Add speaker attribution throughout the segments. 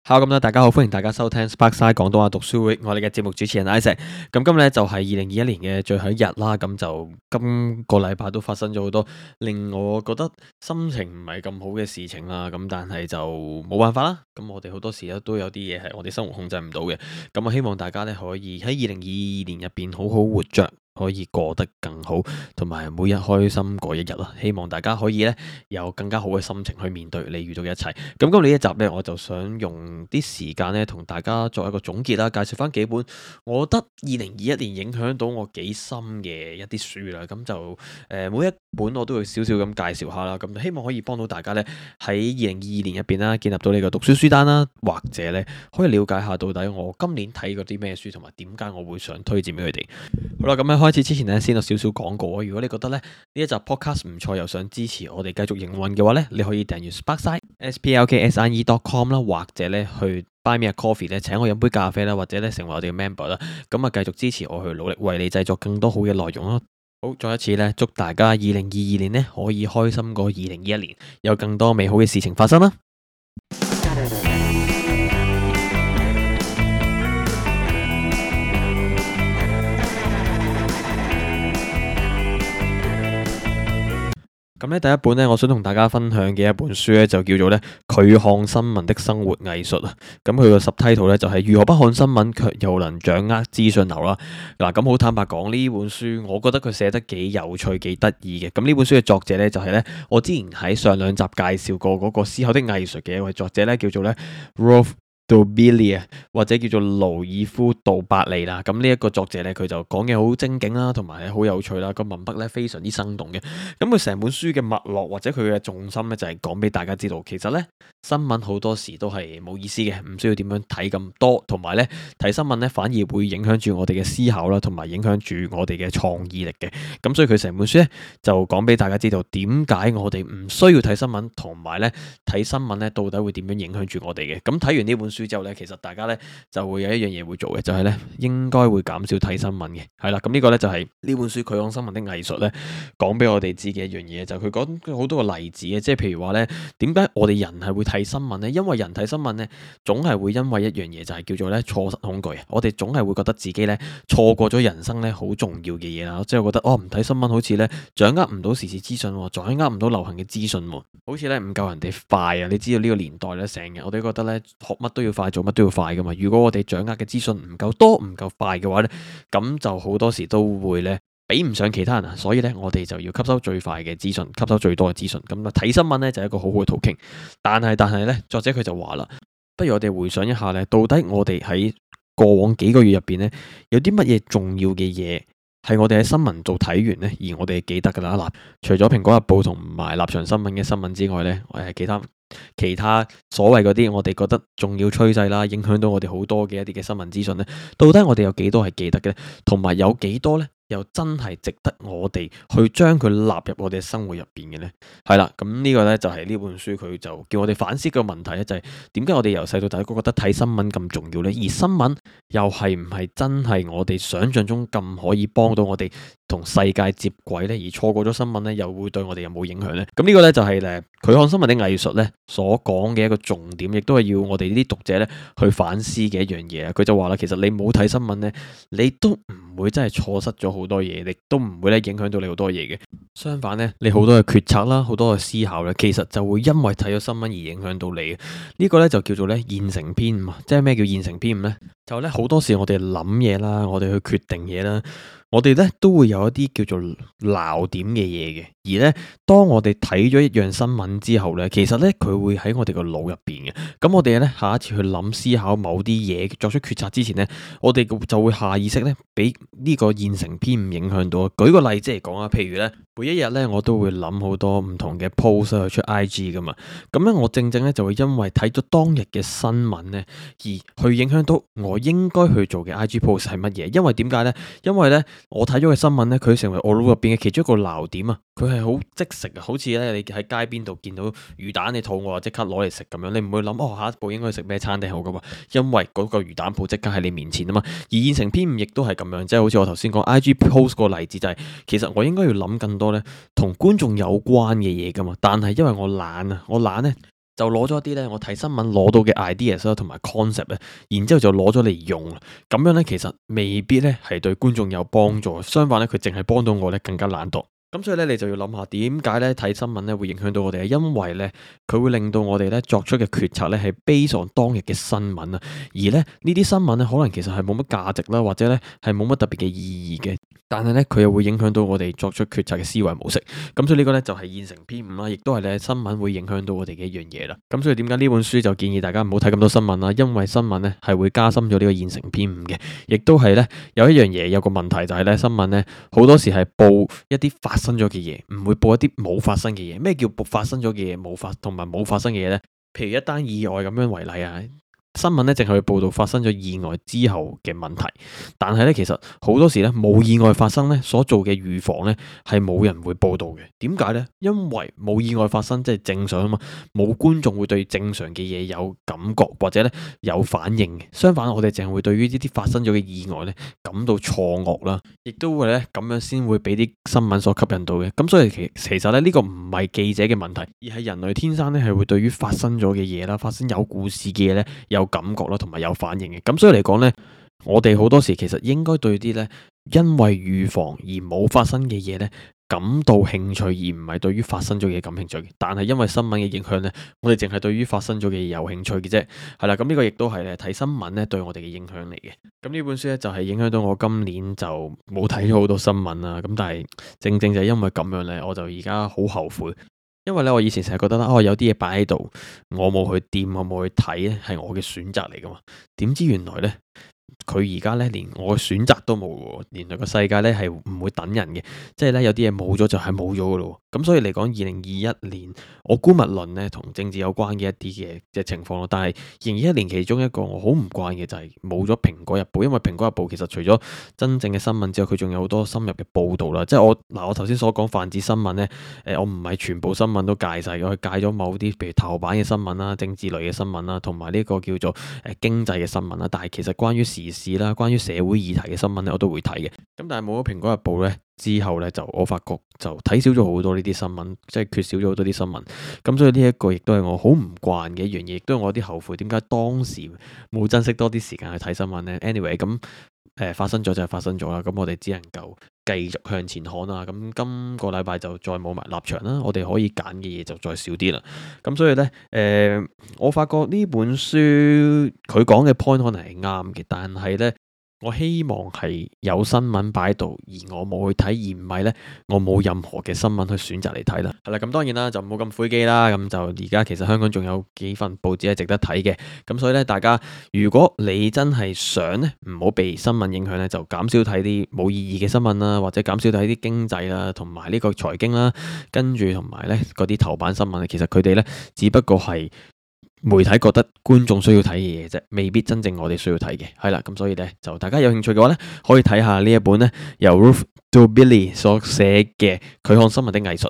Speaker 1: Hello，咁咧，大家好，歡迎大家收聽 Sparkside 廣東話讀書會，我哋嘅節目主持人 Isaac。咁今日咧就係2021年嘅最後一日啦，咁就今個禮拜都發生咗好多令我覺得心情唔係咁好嘅事情啦。咁但係就冇辦法啦。咁我哋好多時咧都有啲嘢係我哋生活控制唔到嘅。咁啊，希望大家咧可以喺2022年入邊好好活着。可以過得更好，同埋每日開心過一日啦。希望大家可以咧有更加好嘅心情去面對你遇到嘅一切。咁今日呢一集咧，我就想用啲時間咧同大家作一個總結啦，介紹翻幾本我覺得2021年影響到我幾深嘅一啲書啦。咁就每一本我都會少少咁介紹下啦。咁希望可以幫到大家咧喺2022年入邊啦，建立到你個讀書書單啦，或者咧可以了解下到底我今年睇過啲咩書，同埋點解我會想推薦俾佢哋。好啦，咁喺開始之前呢，先有少少廣告啊。如果你覺得咧呢一集 podcast 唔錯，又想支持我哋繼續營運嘅話咧，你可以訂閱 Sparkside splkside.com 啦，或者咧去 Buy Me a Coffee 咧請我飲杯咖啡啦，或者咧成為我哋嘅 member 啦。咁啊，繼續支持我去努力為你製作更多好嘅內容咯。好，再一次咧，祝大家2022年呢可以開心過2021年，有更多美好嘅事情發生啦。咁咧，第一本咧，我想同大家分享嘅一本書咧，就叫做咧拒看新聞的生活藝術啊。咁佢個 subtitle 咧就係如何不看新聞卻又能掌握資訊流啦。嗱，咁好坦白講，呢本書我覺得佢寫得幾有趣、幾得意嘅。咁呢本書嘅作者咧就係咧，我之前喺上兩集介紹過嗰個思考的藝術嘅一位作者咧，叫做咧 Rolf Dobelli 或者叫做盧爾夫杜伯利啦。咁呢一個作者咧，佢就講嘢好精警啦，同埋好有趣啦，個文筆咧非常之生動嘅。咁佢成本書嘅脈絡或者佢嘅重心咧，就係講俾大家知道，其實咧新聞好多時都係冇意思嘅，唔需要點樣睇咁多，同埋咧睇新聞咧反而會影響住我哋嘅思考啦，同埋影響住我哋嘅創意力嘅。咁所以佢成本書咧就講俾大家知道點解我哋唔需要睇新聞，同埋咧睇新聞咧到底會點樣影響住我哋嘅。咁睇完呢本書之後咧，其實大家咧就會有一樣嘢會做嘅，就係咧應該會減少睇新聞嘅。係啦，咁呢個咧就係呢本書拒看新聞的藝術咧講俾我哋知嘅一樣嘢，就係佢講好多個例子嘅，即係譬如話咧點解我哋人係會睇新聞咧？因為人睇新聞咧總係會因為一樣嘢，就係叫做咧錯失恐懼。我哋總係會覺得自己咧錯過咗人生咧好重要嘅嘢啦，即係覺得唔睇新聞好似咧掌握唔到時事資訊，掌握唔到流行嘅資訊，好似咧唔夠人哋快啊！你知道呢個年代咧，成日我哋覺得咧學乜都要快，做乜都要快噶嘛。如果我哋掌握嘅資訊唔夠多、唔夠快嘅話咧，咁就好多時都會咧比唔上其他人啊。所以咧，我哋就要吸收最快嘅資訊，吸收最多嘅資訊。咁啊，睇新聞咧就係一個好好嘅途徑。但係咧，作者佢就話啦，不如我哋回想一下咧，到底我哋喺過往幾個月入邊咧，有啲乜嘢重要嘅嘢係我哋喺新聞度睇完呢，而我哋記得噶啦。嗱，除咗蘋果日報同埋立場新聞嘅新聞之外呢，其他所謂嗰啲我哋覺得重要趨勢啦，影響到我哋好多嘅一啲嘅新聞資訊呢，到底我哋有幾多係記得嘅呢？同埋有幾多呢？又真係值得我哋去將佢納入我哋生活入邊嘅呢？係啦，咁呢個呢，就係呢本書佢就叫我哋反思個問題咧，就係點解我哋由細到大都覺得睇新聞咁重要呢？而新聞又係唔係真係我哋想象中咁可以幫到我哋同世界接軌呢？而錯過咗新聞呢，又會對我哋有冇影響呢？咁呢個呢，就係拒看新聞的藝術呢所講嘅一個重點，亦都係要我哋呢啲讀者呢去反思嘅一樣嘢。佢就話啦，其實你冇睇新聞呢，你都唔會真係錯失咗好多嘢，亦都唔會咧影響到你好多嘢嘅。相反呢，你好多嘅決策啦，好多嘅思考呢，其實就會因為睇咗新聞而影響到你嘅。呢個呢，就叫做咧現成偏誤。即係咩叫現成偏誤呢？就咧好多時我哋諗嘢啦，我哋去決定嘢啦，我哋咧都會有一啲叫做鬧點嘅嘢嘅。而咧當我哋睇咗一樣新聞之後咧，其實咧佢會喺我哋個腦入邊嘅。咁我哋咧下一次去諗思考某啲嘢，作出決策之前咧，我哋就會下意識咧俾呢個現成偏誤影響到。舉個例子嚟講啊，譬如咧每一日咧我都會諗好多唔同嘅 post 去出 IG 噶嘛。咁咧我正正咧就會因為睇咗當日嘅新聞咧，而去影響到我應該去做嘅 IG post 係乜嘢。因為點解咧？因為咧我睇咗嘅新聞咧，佢成為我腦入邊嘅其中一個鬧點啊。佢係好即食啊，好似咧你喺街邊度見到魚蛋，你肚餓即刻攞嚟食咁樣，你唔會諗下一步應該食咩餐廳好噶嘛？因為嗰個魚蛋鋪即刻喺你面前啊嘛。而現成偏誤亦都係咁樣，即係好似我頭先講 IG post 個例子就係，其實我應該要諗更多咧同觀眾有關嘅嘢噶嘛，但係因為我懶啊，我懶咧就攞咗一啲咧我睇新聞攞到嘅 ideas 啦，同埋 concept 咧，然之後就攞咗嚟用，咁樣咧其實未必咧係對觀眾有幫助，相反咧佢淨係幫到我咧更加懶惰。咁所以咧，你就要諗下點解咧睇新聞咧會影響到我哋啊？因為咧佢會令到我哋咧作出嘅決策咧係 based on當日嘅新聞啊，而咧呢啲新聞咧可能其實係冇乜價值啦，或者咧係冇乜特別嘅意義嘅，但係咧佢又會影響到我哋作出決策嘅思維模式。咁所以呢個咧就係現成偏誤啦，亦都係咧新聞會影響到我哋嘅一樣嘢啦。咁所以點解呢本書就建議大家唔好睇咁多新聞啦？因為新聞咧係會加深咗呢個現成偏誤嘅，亦都係咧有一樣嘢有個問題就係咧新聞咧好多時係報一啲發生咗嘅嘢，唔會報一啲冇發生嘅嘢。咩叫發生咗嘅嘢同埋冇發生嘅嘢呢？譬如一單意外咁樣為例啊。新聞咧淨係會報道發生咗意外之後嘅問題，但係咧其實好多時咧冇意外發生咧所做嘅預防咧係冇人會報道嘅。點解呢？因為冇意外發生即係正常啊嘛，冇觀眾會對正常嘅嘢有感覺或者咧有反應嘅。相反，我哋淨係會對於呢啲發生咗嘅意外咧感到錯愕啦，亦都會咧咁樣先會俾啲新聞所吸引到嘅。咁所以其實咧呢個唔係記者嘅問題，而係人類天生咧係會對於發生咗嘅嘢啦，發生有故事嘅嘢咧有感覺啦，同埋有反應嘅。咁所以嚟講呢，我哋好多時其實應該對啲呢因為預防而冇發生嘅嘢呢感到興趣，而唔係對於發生咗嘅嘢感興趣嘅。但係因為新聞嘅影響呢，我哋淨係對於發生咗嘅嘢有興趣嘅啫。係啦，咁呢個亦都係咧睇新聞呢對我哋嘅影響嚟嘅。咁呢本書呢，就係影響到我今年就冇睇咗好多新聞啦。咁但係正正就係因為咁樣呢，我就而家好後悔。因為咧，我以前成日覺得啦，有啲嘢擺喺度，我冇去掂，我冇去睇咧，係我嘅選擇嚟噶嘛。點知原來咧，佢而家咧連我嘅選擇都冇喎，原來個世界咧係唔會等人嘅，即係咧有啲嘢冇咗就係冇咗噶咯。咁所以嚟講，2021年我姑勿論咧同政治有關嘅一啲嘅情況咯。但係2021年其中一個我好唔慣嘅就係冇咗蘋果日報，因為蘋果日報其實除咗真正嘅新聞之外，佢仲有好多深入嘅報導啦。即係我頭先所講泛指新聞咧，我唔係全部新聞都戒晒，我係戒咗某啲譬如頭版嘅新聞啦、政治類嘅新聞啦，同埋呢個叫做經濟嘅新聞啦。但係其實關於時事啦、關於社會議題嘅新聞咧，我都會睇嘅。咁但係冇咗蘋果日報咧之後咧，就我發覺就睇少咗好多呢啲新聞，即係缺少咗好多啲新聞。咁所以呢一個亦都係我好唔慣嘅一樣嘢，亦都係我有啲後悔點解當時冇珍惜多啲時間去睇新聞呢。Anyway，咁發生咗就係發生咗啦。咁我哋只能夠繼續向前看啦。咁今個禮拜就再冇埋立場啦，我哋可以揀嘅嘢就再少啲啦。咁所以呢，我發覺呢本書佢講嘅 point 可能係啱嘅，但係呢，我希望係有新聞擺喺度，而我冇去睇，而唔係呢，我冇任何嘅新聞去選擇嚟睇啦。係啦，咁當然啦，就冇咁灰機啦。咁就而家其實香港仲有幾份報紙係值得睇嘅。咁所以呢，大家如果你真係想呢，唔好被新聞影響呢，就減少睇啲冇意義嘅新聞啦，或者減少睇啲經濟啦，同埋呢個財經啦，跟住同埋呢嗰啲頭版新聞，其實佢哋呢，只不過係媒體覺得觀眾需要睇嘅嘢啫，未必真正我哋需要睇嘅。係啦，咁所以呢，就大家有興趣嘅話呢，可以睇下呢一本呢，由 Ruth Dobelli 所寫嘅《拒看新聞的藝術》。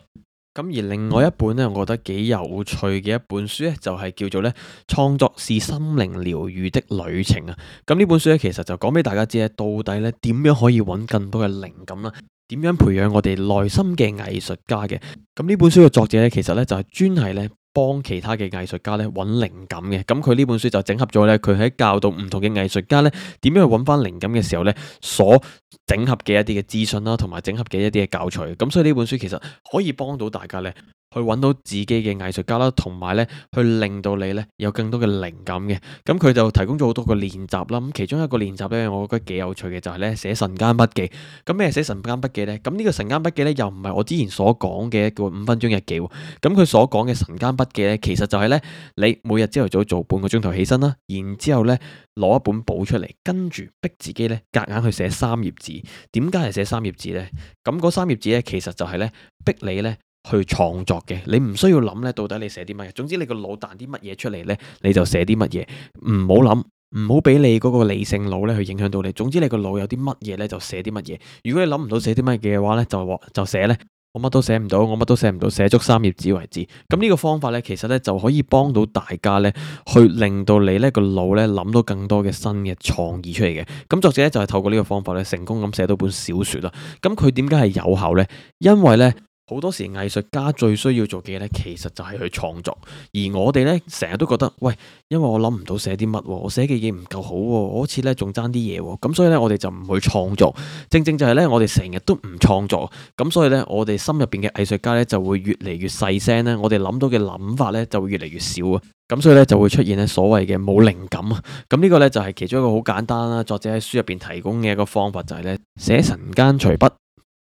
Speaker 1: 咁而另外一本呢，我覺得幾有趣嘅一本書呢，就係叫做呢《創作是心靈療癒的旅程》啊。咁呢本書呢，其實就講俾大家知咧，到底呢點樣可以揾更多嘅靈感啦，點樣培養我哋內心嘅藝術家嘅。咁呢本書嘅作者呢，其實呢就係專係呢幫其他嘅藝術家咧揾靈感嘅。咁佢呢本書就整合咗咧，佢喺教導唔同嘅藝術家咧點樣去揾翻靈感嘅時候咧，所整合嘅一啲嘅資訊啦，同埋整合嘅一啲嘅教材。咁所以呢本書其實可以幫到大家咧，去揾到自己嘅藝術家啦，同埋咧去令到你咧有更多嘅靈感嘅。咁佢就提供咗好多個練習啦。咁其中一個練習咧，我覺得幾有趣嘅就係咧寫晨間筆記。咁咩寫晨間筆記咧？咁呢個晨間筆記咧又唔係我之前所講嘅一個5分鐘日記。咁佢所講嘅晨間筆記咧，其實就係咧你每日朝頭早做半個鐘頭起身啦，然之後咧攞一本簿出嚟，跟住逼自己咧夾硬去寫3頁字。點解係寫3頁字咧？咁嗰3頁字咧，其實就係咧逼你咧去創作嘅。你唔需要諗咧到底你寫啲乜嘢，總之你個腦彈啲乜嘢出嚟咧，你就寫啲乜嘢。唔好諗，唔好俾你嗰個理性腦咧去影響到你。總之你個腦有啲乜嘢咧就寫啲乜嘢。如果你諗唔到寫啲乜嘢嘅話咧，就寫咧。我乜都寫唔到，我乜都寫唔到，寫足3頁紙為止。咁呢個方法呢，其實呢就可以幫到大家呢，去令到你呢個腦呢諗到更多嘅新嘅創意出嚟嘅。咁作者呢就係透過呢個方法呢，成功咁寫到本小說啦。咁佢點解係有效呢？因為呢好多時藝術家最需要做嘅嘢咧，其實就係去創作。而我哋咧成日都覺得，喂，因為我諗唔到寫啲乜，我寫嘅嘢唔夠好，我好似咧仲爭啲嘢，咁所以咧我哋就唔去創作。正正就係咧，我哋成日都唔創作，咁所以咧我哋心入邊嘅藝術家咧就會越嚟越細聲咧，我哋諗到嘅諗法咧就會越嚟越少啊。咁所以咧就會出現咧所謂嘅冇靈感啊。咁呢個咧就係其中一個好簡單啦，作者喺書入邊提供嘅一個方法就係咧寫晨間隨筆。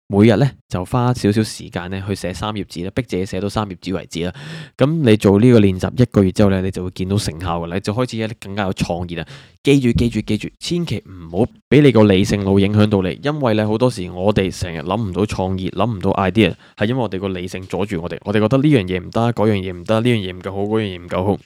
Speaker 1: 每日咧就花少少時間咧去寫3頁紙咧，逼自己寫到3頁紙為止啦。咁你做呢個練習1個月之後咧，你就會見到成效噶啦，你就開始咧更加有創意啦。記住，千祈唔好俾你個理性腦影響到你，因為咧好多時我哋成日諗唔到創意，諗唔到 idea，係因為我哋個理性阻住我哋，我哋覺得呢樣嘢唔得，嗰樣嘢唔得，呢樣嘢唔夠好，嗰樣嘢唔夠好。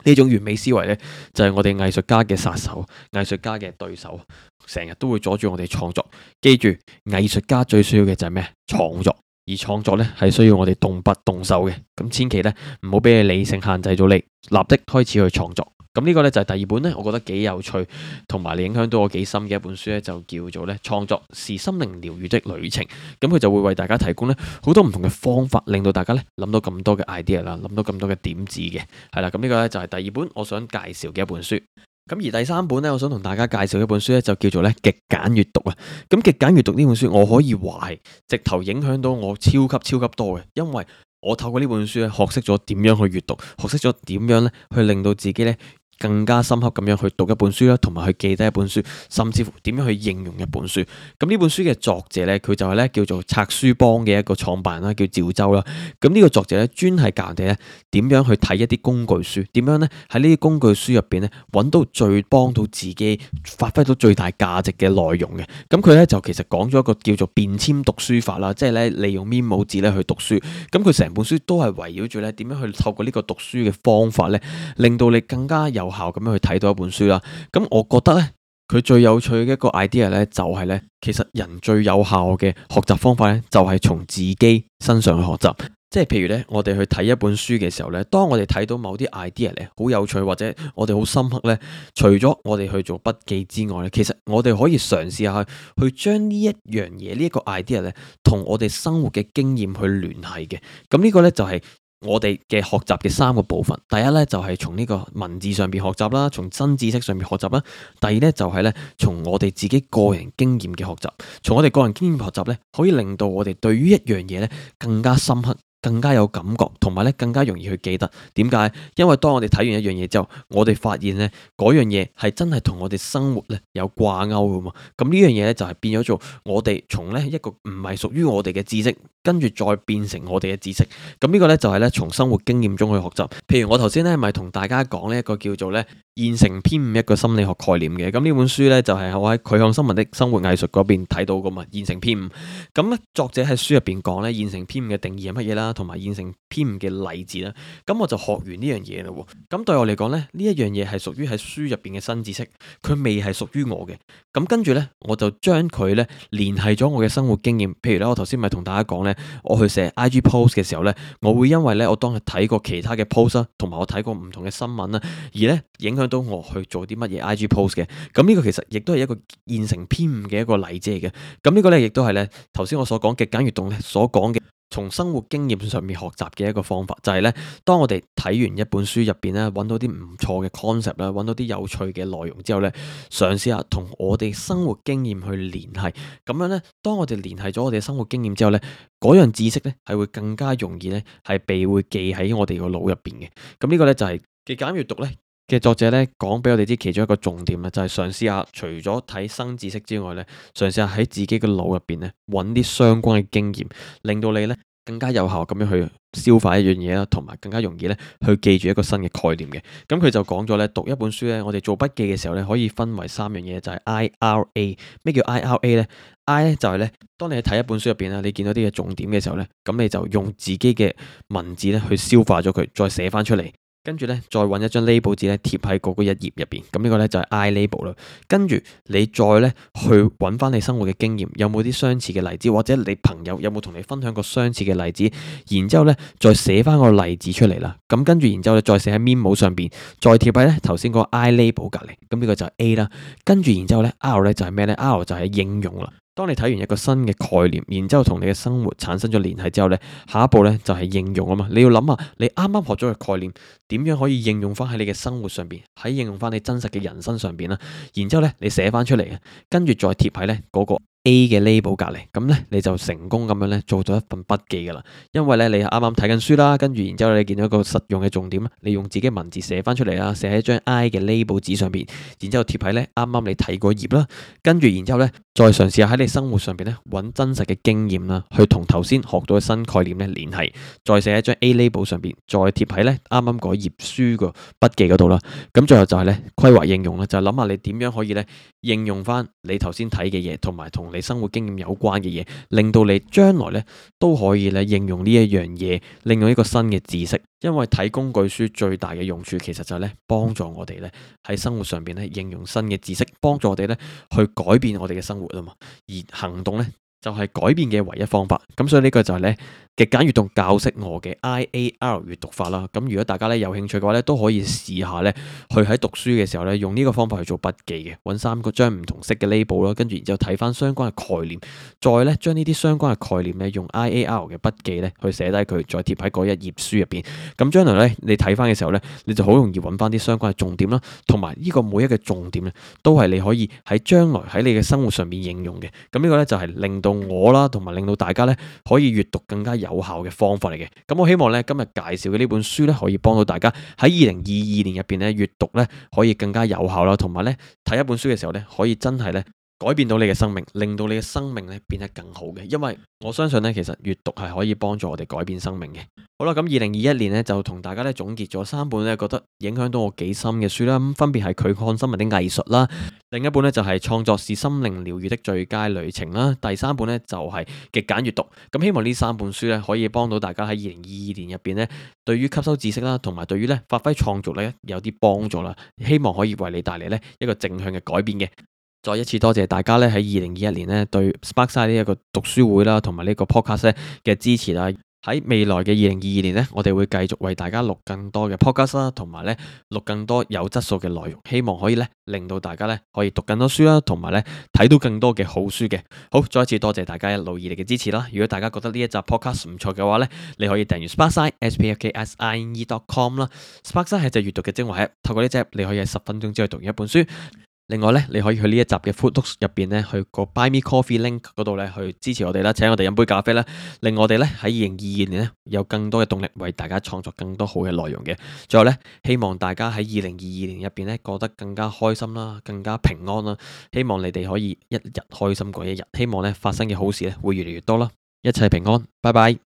Speaker 1: 呢種完美思維呢，就係我哋藝術家嘅殺手，藝術家嘅對手，成日都會阻住我哋創作。記住，藝術家最需要嘅就係咩？創作，而創作呢，係需要我哋動筆動手嘅。咁千祈呢，唔好俾你理性限制咗你，立即開始去創作。咁呢個呢，就係第二本呢，我覺得幾有趣，同埋你影響到我幾深嘅一本書呢，就叫做呢創作是心靈療愈的旅程。咁佢就會為大家提供呢好多唔同嘅方法，令到大家呢諗到咁多嘅 idea 啦，諗到咁多嘅點子嘅。係啦，咁呢個呢，就係第二本我想介紹嘅一本書。咁而第三本呢，我想同大家介紹一本書呢，就叫做呢極簡閱讀啊。咁極簡閱讀呢本書，我可以話係直頭影響到我超級多嘅，因為我透過呢本書咧，學識咗點樣去閱讀，學識咗點樣咧去令到自己咧更加深刻咁樣去讀一本書啦，同埋去記低一本書，甚至乎點樣去應用一本書。咁呢本書嘅作者咧，佢就係咧叫做拆書幫嘅一個創辦人啦，叫趙州啦。咁呢個作者咧，專係教人哋咧點樣去睇一啲工具書，點樣咧喺呢啲工具書入邊咧揾到最幫到自己發揮到最大價值嘅內容嘅。咁佢咧就其實講咗一個叫做便簽讀書法啦，即係咧利用 memo 紙咧去讀書。咁佢成本書都係圍繞住咧點樣去透過呢個讀書嘅方法咧，令到你更加有效咁樣去睇到一本書啦。咁我覺得咧，佢最有趣嘅一個 idea 咧，就係咧，其實人最有效嘅學習方法咧，就係從自己身上去學習。即係譬如咧，我哋去睇一本書嘅時候咧，當我哋睇到某啲 idea 咧好有趣，或者我哋好深刻咧，除咗我哋去做筆記之外咧，其實我哋可以嘗試下去將呢一樣嘢，呢一個 idea 咧，同我哋生活嘅經驗去聯繫嘅。咁呢個咧就係我哋嘅學習嘅3個部分。第一咧就係從呢個文字上邊學習啦，從新知識上面學習啦。第二咧就係咧從我哋自己個人經驗嘅學習。從我哋個人經驗學習咧，可以令到我哋對於一樣嘢咧更加深刻，更加有感覺，同埋咧更加容易去記得。點解？因為當我哋睇完一樣嘢之後，我哋發現咧嗰樣嘢係真係同我哋生活咧有掛鈎噶嘛。咁呢樣嘢咧就係變咗做我哋從咧一個唔係屬於我哋嘅知識，跟住再變成我哋嘅知識。咁呢個咧就係咧從生活經驗中去學習。譬如我頭先咧咪同大家講呢一個叫做咧現成篇5一個心理學概念嘅。咁呢本書咧就係我喺拒看新聞的生活藝術嗰邊睇到噶嘛。現成篇5，咁咧作者喺書入邊講咧現成篇5嘅定義係乜嘢啦，同埋現成篇5嘅例子啦。咁我就學完呢樣嘢啦。咁對我嚟講咧，呢一樣嘢係屬於喺書入邊嘅新知識，佢未係屬於我嘅。咁跟住咧，我就將佢咧聯繫咗我嘅生活經驗。譬如咧，我頭先咪同大家講咧，我去寫 IG post 嘅時候咧，我會因為咧我當日睇過其他嘅 post 啦，同埋我睇過唔同嘅新聞啦，而咧影響到我去做啲乜嘢 IG post 嘅。咁呢個其實亦都係一個現成篇5嘅一個例子嚟嘅。咁呢個咧亦都係咧頭先我所講極簡閱讀咧所講嘅，從生活經驗上面學習嘅一個方法，就係咧，當我哋睇完一本書入邊咧，揾到啲唔錯嘅 concept 啦，揾到啲有趣嘅內容之後咧，嘗試下同我哋生活經驗去聯繫。咁樣咧，當我哋聯繫咗我哋生活經驗之後咧，嗰樣知識咧係會更加容易咧係被會記喺我哋個腦入邊嘅。咁呢個咧就係極簡閱讀咧嘅作者咧講俾我哋知其中一個重點啦，就係嘗試下除咗睇新知識之外咧，嘗試下喺自己嘅腦入邊咧揾啲相關嘅經驗，令到你咧更加有效咁樣去消化一樣嘢啦，同埋更加容易咧去記住一個新嘅概念嘅。咁佢就講咗咧，讀一本書咧，我哋做筆記嘅時候咧，可以分為3樣嘢，就係 IRA。咩叫 IRA 咧？I 咧就係咧，當你睇一本書入邊啦，你見到啲嘅重點嘅時候咧，咁你就用自己嘅文字咧去消化咗佢，再寫翻出嚟。跟住咧，再揾一張 label 紙咧貼喺嗰一頁入邊，咁呢個咧就係 I label 啦。跟住你再咧去揾翻你生活嘅經驗，有冇啲相似嘅例子，或者你朋友有冇同你分享過相似嘅例子，然之後咧再寫翻個例子出嚟啦。咁跟住然之後咧再寫喺 memo 上邊，再貼喺咧頭先個 I label 隔離。咁呢個就係 A 啦。跟住然之後咧 R 咧就係咩咧？R 就係應用啦。當你睇完一個新嘅概念，然之後同你嘅生活產生咗聯繫之後呢，下一步呢就係應用啊嘛。你要諗下，你啱啱學咗嘅概念點樣可以應用翻喺你嘅生活上邊，喺應用翻你真實嘅人生上邊啦。然之後呢，你寫翻出嚟嘅，跟住再貼喺呢嗰個 A 嘅 label 隔離，咁呢你就成功咁樣呢做咗一份筆記噶啦。因為呢，你啱啱睇緊書啦，跟住然之後你見到一個實用嘅重點，你用自己文字寫翻出嚟啦，寫喺張 I 嘅 label 紙上邊，然之後貼喺呢啱啱你睇嗰頁啦，跟住然之後呢，再嘗試下喺你生活上邊呢揾真實嘅經驗啦，去同頭先學到嘅新概念呢聯繫，再寫喺張 A label 上邊，再貼喺呢啱啱嗰頁書個筆記嗰度啦。咁最後就係呢規劃應用啦，就係諗下你點樣可以呢應用翻你頭先睇嘅嘢，同埋同你生活經驗有關嘅嘢，令到你將來呢都可以呢應用呢一樣嘢，令到一個新嘅知識。因為睇工具書最大嘅用處，其實就係呢幫助我哋呢喺生活上邊呢應用新嘅知識，幫助我哋呢去改變我哋嘅生活啊嘛。而行動呢，就係改變嘅唯一方法。咁所以呢個就係呢極簡閱讀教識我嘅 IAR 閱讀法啦。咁如果大家呢有興趣嘅話呢，都可以試下呢去喺讀書嘅時候呢用呢個方法去做筆記嘅，揾3個張唔同色嘅 label 啦，跟住然之後睇翻相關嘅概念，再呢將呢啲相關嘅概念呢用 IAR 嘅筆記呢去寫低佢，再貼喺嗰一頁書入邊。咁將來呢你睇翻嘅時候呢，你就好容易揾翻啲相關嘅重點啦，同埋呢個每一個重點呢都係你可以喺將來喺你嘅生活上面應用嘅。咁呢個呢就係令到我啦，同埋令到大家呢可以閱讀更加有效嘅方法嚟嘅。咁我希望呢今日介紹嘅呢本書呢，可以幫到大家喺2022年入邊呢閱讀呢可以更加有效啦，同埋呢睇一本書嘅時候呢，可以真係呢改變到你嘅生命，令到你嘅生命呢變得更好嘅。因為我相信呢，其實閱讀係可以幫助我哋改變生命嘅。好啦，咁2021年呢，就同大家呢總結咗3本呢覺得影響到我幾深嘅書啦。咁分別係《拒看新聞的藝術》啦，另一本呢就係《創作是心靈療愈的最佳旅程》啦，第3本呢就係《極簡閱讀》。咁希望呢3本書呢可以幫到大家喺2022年入邊呢，對於吸收知識啦，同埋對於呢發揮創造力有啲幫助啦。希望可以為你帶嚟呢一個正向嘅改變嘅。再一次多謝大家咧喺2021年咧對 Sparkside 呢一個讀書會啦，同埋呢個 podcast 咧嘅支持啦。喺未來嘅2022年呢，我哋會繼續為大家錄更多嘅 podcast 啦，同埋咧錄更多有質素嘅內容，希望可以咧令到大家咧可以讀更多書啦，同埋咧睇到更多嘅好書嘅。好，再一次多謝大家一路以嚟嘅支持啦。如果大家覺得呢一集 podcast 唔錯嘅話咧，你可以訂閱 Sparkside spksine.com 啦。Sparkside 係隻閱讀嘅精華 app，透過呢隻 app 你可以喺10分鐘之內讀完一本書。另外咧，你可以去呢一集嘅 Footnotes 入邊咧，去個 Buy Me Coffee link 嗰度咧，去支持我哋啦，請我哋飲杯咖啡啦，令我哋咧喺2022年咧有更多嘅動力，為大家創作更多好嘅內容嘅。最後咧，希望大家喺2022年入邊咧過得更加開心啦，更加平安啦。希望你哋可以一日開心過一日，希望咧發生嘅好事咧會越嚟越多啦。一切平安，拜拜。